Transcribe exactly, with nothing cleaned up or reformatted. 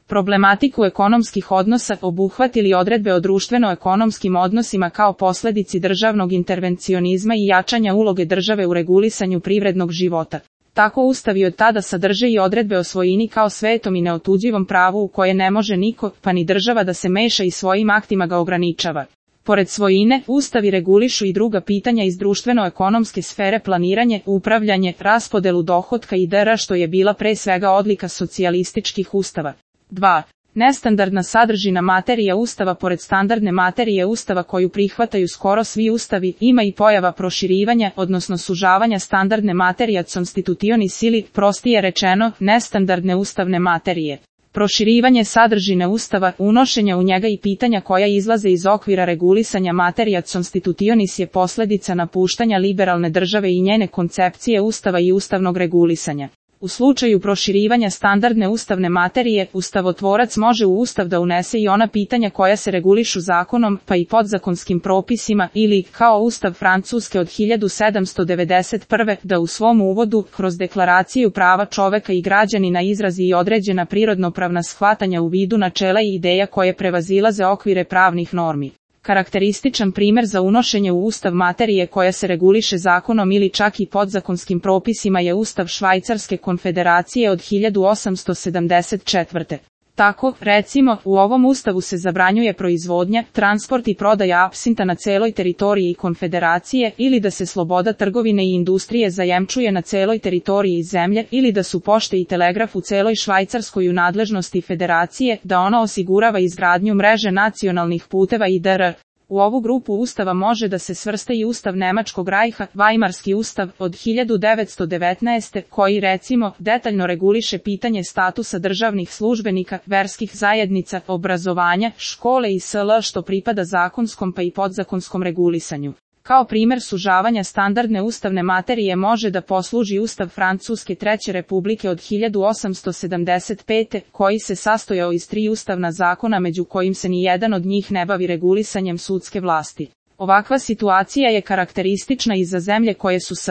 problematiku ekonomskih odnosa obuhvatili odredbe o društveno-ekonomskim odnosima kao posledici državnog intervencionizma i jačanja uloge države u regulisanju privrednog života. Tako Ustav i od tada sadrže i odredbe o svojini kao svetom i neotuđivom pravu u koje ne može niko, pa ni država da se meša i svojim aktima ga ograničava. Pored svojine, Ustavi regulišu i druga pitanja iz društveno-ekonomske sfere: planiranje, upravljanje, raspodelu dohotka i dr. što je bila pre svega odlika socijalističkih ustava. dva. Nestandardna sadržina materija Ustava. Pored standardne materije Ustava koju prihvataju skoro svi ustavi, ima i pojava proširivanja, odnosno sužavanja standardne materija constitutionis ili, prostije rečeno, nestandardne ustavne materije. Proširivanje sadržine Ustava, unošenja u njega i pitanja koja izlaze iz okvira regulisanja materija constitutionis je posledica napuštanja liberalne države i njene koncepcije Ustava i ustavnog regulisanja. U slučaju proširivanja standardne ustavne materije, ustavotvorac može u Ustav da unese i ona pitanja koja se regulišu zakonom, pa i podzakonskim propisima, ili, kao Ustav Francuske od hiljadu sedamsto devedeset prve. da u svom uvodu, kroz deklaraciju prava čoveka i građanina izrazi i određena prirodnopravna shvatanja u vidu načela i ideja koje prevazilaze okvire pravnih normi. Karakterističan primer za unošenje u Ustav materije koja se reguliše zakonom ili čak i podzakonskim propisima je Ustav Švajcarske konfederacije od hiljadu osamsto sedamdeset četvrte. Tako, recimo, u ovom ustavu se zabranjuje proizvodnja, transport i prodaja apsinta na celoj teritoriji konfederacije, ili da se sloboda trgovine i industrije zajemčuje na celoj teritoriji zemlje, ili da su pošte i telegraf u celoj Švajcarskoj u nadležnosti federacije, da ona osigurava izgradnju mreže nacionalnih puteva i dr. U ovu grupu ustava može da se svrsta i Ustav Nemačkog rajha, Vajmarski ustav, od hiljadu devetsto devetnaeste. koji, recimo, detaljno reguliše pitanje statusa državnih službenika, verskih zajednica, obrazovanja, škole i sl. što pripada zakonskom pa i podzakonskom regulisanju. Kao primer sužavanja standardne ustavne materije može da posluži Ustav Francuske Treće republike od hiljadu osamsto sedamdeset pete. koji se sastojao iz tri ustavna zakona među kojim se ni jedan od njih ne bavi regulisanjem sudske vlasti. Ovakva situacija je karakteristična i za zemlje koje su s